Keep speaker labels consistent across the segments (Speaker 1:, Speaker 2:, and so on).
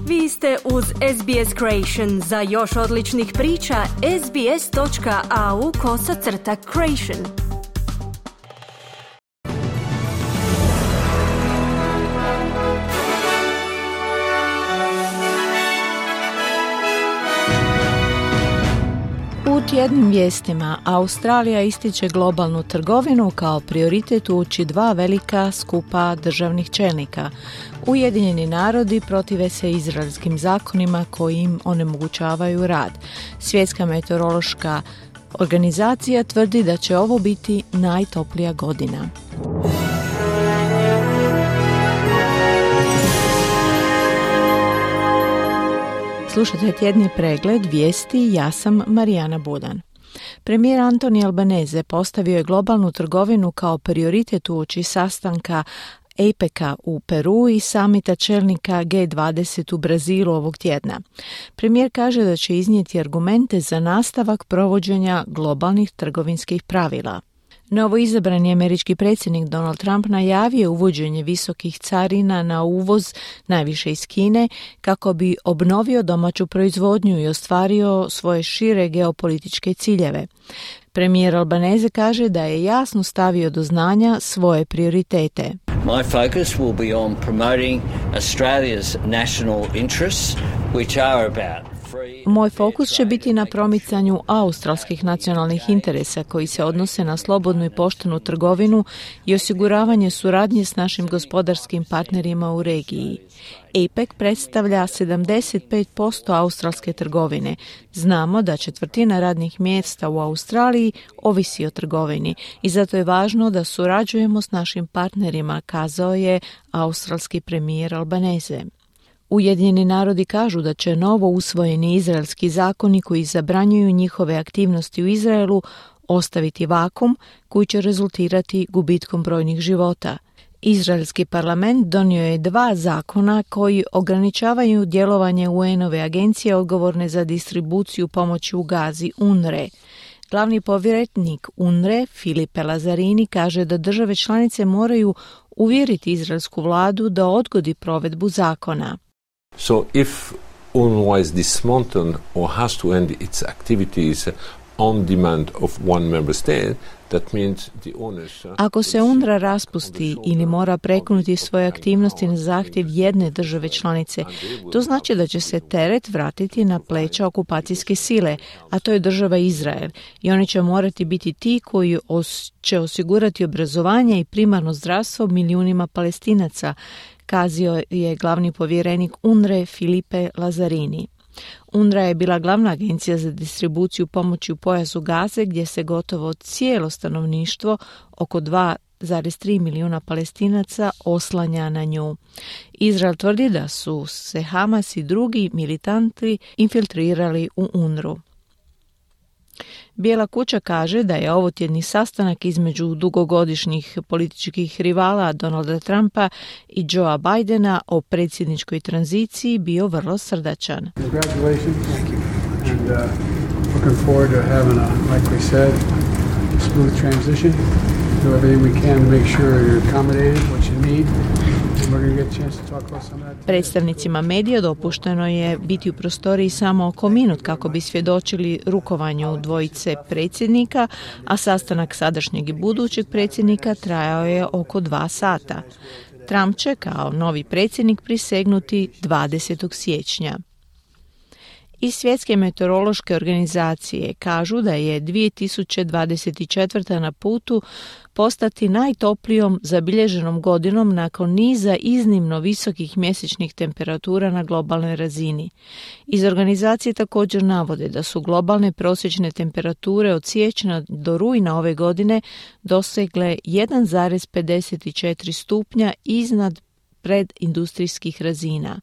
Speaker 1: Vi ste uz SBS Creation. Za još odličnih priča, sbs.au/creation.
Speaker 2: U tjednim vijestima Australija ističe globalnu trgovinu kao prioritet uoči dva velika skupa državnih čelnika. Ujedinjeni narodi protive se izraelskim zakonima koji im onemogućavaju rad. Svjetska meteorološka organizacija tvrdi da će ovo biti najtoplija godina. Slušajte tjedni pregled vijesti, ja sam Marijana Budan. Premijer Antoni Albanese postavio je globalnu trgovinu kao prioritet uoči sastanka APEC-a u Peru i samita čelnika G20 u Brazilu ovog tjedna. Premijer kaže da će iznijeti argumente za nastavak provođenja globalnih trgovinskih pravila. Novoizabrani američki predsjednik Donald Trump najavio uvođenje visokih carina na uvoz, najviše iz Kine, kako bi obnovio domaću proizvodnju i ostvario svoje šire geopolitičke ciljeve. Premijer Albanese kaže da je jasno stavio do znanja svoje prioritete.
Speaker 3: My focus will be on promoting Australia's national interests, which are about
Speaker 2: Moj fokus će biti na promicanju australskih nacionalnih interesa koji se odnose na slobodnu i poštenu trgovinu i osiguravanje suradnje s našim gospodarskim partnerima u regiji. APEC predstavlja 75% australske trgovine. Znamo da 1/4 radnih mjesta u Australiji ovisi o trgovini i zato je važno da surađujemo s našim partnerima, kazao je australski premijer Albanese. Ujedinjeni narodi kažu da će novo usvojeni izraelski zakoni koji zabranjuju njihove aktivnosti u Izraelu ostaviti vakum koji će rezultirati gubitkom brojnih života. Izraelski parlament donio je 2 zakona koji ograničavaju djelovanje UN-ove agencije odgovorne za distribuciju pomoći u Gazi UNRWA. Glavni povjerenik UNRWA, Filipe Lazzarini, kaže da države članice moraju uvjeriti izraelsku vladu da odgodi provedbu zakona.
Speaker 4: So if UNRWA is dismantled or has to end its activities on demand of one member state, that means the owners...
Speaker 2: Ako se UNRWA raspusti ili mora prekinuti svoje aktivnosti na zahtjev jedne države članice, to znači da će se teret vratiti na pleća okupacijske sile, a to je država Izrael, i oni će morati biti ti koji će osigurati obrazovanje i primarno zdravstvo milijunima Palestinaca, kazao je glavni povjerenik UNRWA Filipe Lazzarini. UNRWA je bila glavna agencija za distribuciju pomoći u pojasu Gaze, gdje se gotovo cijelo stanovništvo, oko 2,3 milijuna Palestinaca, oslanja na nju. Izrael tvrdi da su se Hamas i drugi militanti infiltrirali u UNRWA. Bijela kuća kaže da je ovotjedni sastanak između dugogodišnjih političkih rivala Donalda Trumpa i Joea Bidena o predsjedničkoj tranziciji bio vrlo srdačan.
Speaker 5: Congratulations. Thank you. And looking forward to having a, like we said, smooth transition. Do everything we can to make sure you're accommodated, what you need.
Speaker 2: Predstavnicima medija dopušteno je biti u prostoriji samo oko minut kako bi svjedočili rukovanju dvojice predsjednika, a sastanak sadašnjeg i budućeg predsjednika trajao je oko 2 sata. Trump će kao novi predsjednik prisegnuti 20. siječnja. Iz Svjetske meteorološke organizacije kažu da je 2024. na putu postati najtoplijom zabilježenom godinom nakon niza iznimno visokih mjesečnih temperatura na globalnoj razini. Iz organizacije također navode da su globalne prosječne temperature od siječnja do rujna ove godine dosegle 1,54 stupnja iznad predindustrijskih razina.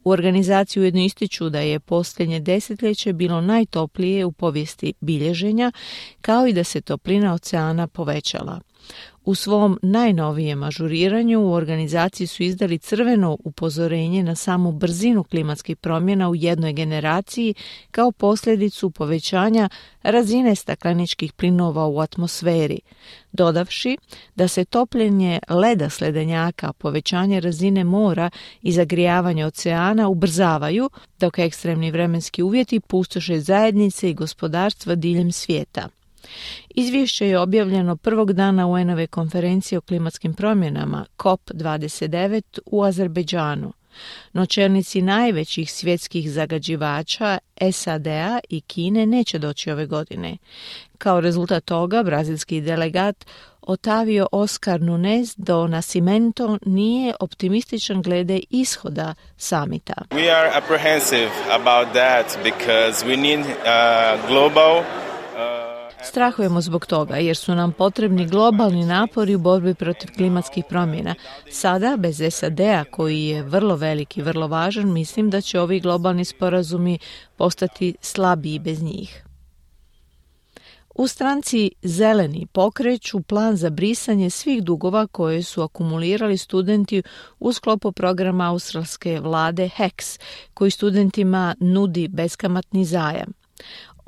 Speaker 2: U organizaciji ujedno ističu da je posljednje desetljeće bilo najtoplije u povijesti bilježenja, kao i da se toplina oceana povećala. U svom najnovijem ažuriranju u organizaciji su izdali crveno upozorenje na samu brzinu klimatskih promjena u jednoj generaciji kao posljedicu povećanja razine stakleničkih plinova u atmosferi, dodavši da se topljenje leda s ledenjaka, povećanje razine mora i zagrijavanje oceana ubrzavaju, dok ekstremni vremenski uvjeti pustoše zajednice i gospodarstva diljem svijeta. Izvješće je objavljeno prvog dana UN-ove konferencije o klimatskim promjenama COP29 u Azerbejdžanu, no čelnici najvećih svjetskih zagađivača SAD-a i Kine neće doći ove godine. Kao rezultat toga, brazilski delegat Otavio Oscar Nunes do Nascimento nije optimističan glede ishoda samita.
Speaker 6: We are apprehensive about that because we need global
Speaker 2: Strahujemo zbog toga jer su nam potrebni globalni napori u borbi protiv klimatskih promjena. Sada, bez SAD-a koji je vrlo velik i vrlo važan, mislim da će ovi globalni sporazumi postati slabiji bez njih. U stranci Zeleni pokreću plan za brisanje svih dugova koje su akumulirali studenti u sklopu programa australske vlade HEX, koji studentima nudi beskamatni zajam.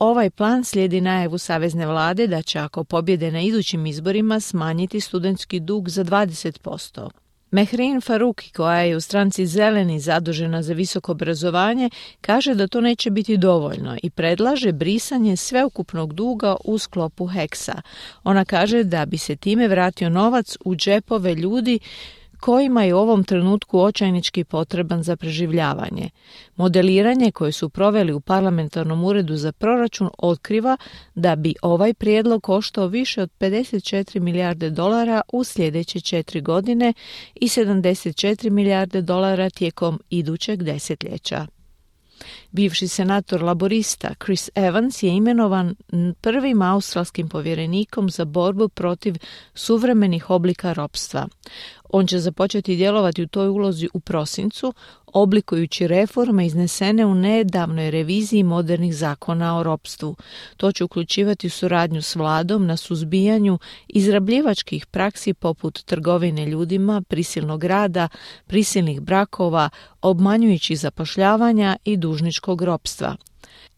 Speaker 2: Ovaj plan slijedi najavu savezne vlade da će, ako pobjede na idućim izborima, smanjiti studentski dug za 20%. Mehrin Faruqi, koja je u stranci Zeleni zadužena za visoko obrazovanje, kaže da to neće biti dovoljno i predlaže brisanje sveukupnog duga u sklopu HEX-a. Ona kaže da bi se time vratio novac u džepove ljudi kojima je u ovom trenutku očajnički potreban za preživljavanje. Modeliranje koje su proveli u parlamentarnom uredu za proračun otkriva da bi ovaj prijedlog koštao više od 54 milijarde dolara u sljedeće 4 godine i 74 milijarde dolara tijekom idućeg desetljeća. Bivši senator laborista Chris Evans je imenovan prvim australskim povjerenikom za borbu protiv suvremenih oblika ropstva. On će započeti djelovati u toj ulozi u prosincu, oblikujući reforme iznesene u nedavnoj reviziji modernih zakona o ropstvu. To će uključivati suradnju s vladom na suzbijanju izrabljivačkih praksi poput trgovine ljudima, prisilnog rada, prisilnih brakova, obmanjujućih zapošljavanja i dužničkog ropstva.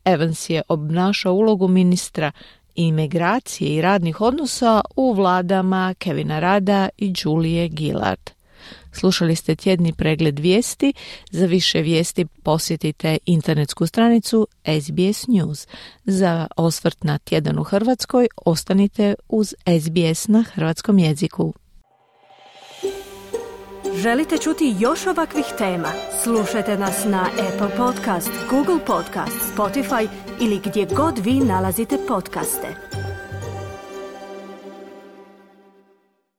Speaker 2: Evans je obnašao ulogu ministra imigracije i radnih odnosa u vladama Kevina Radda i Julie Gillard. Slušali ste tjedni pregled vijesti. Za više vijesti posjetite internetsku stranicu SBS News. Za osvrt na tjedan u Hrvatskoj ostanite uz SBS na hrvatskom jeziku.
Speaker 1: Želite čuti još ovakvih tema? Slušajte nas na Apple Podcast, Google Podcast, Spotify ili gdje god vi nalazite podcaste.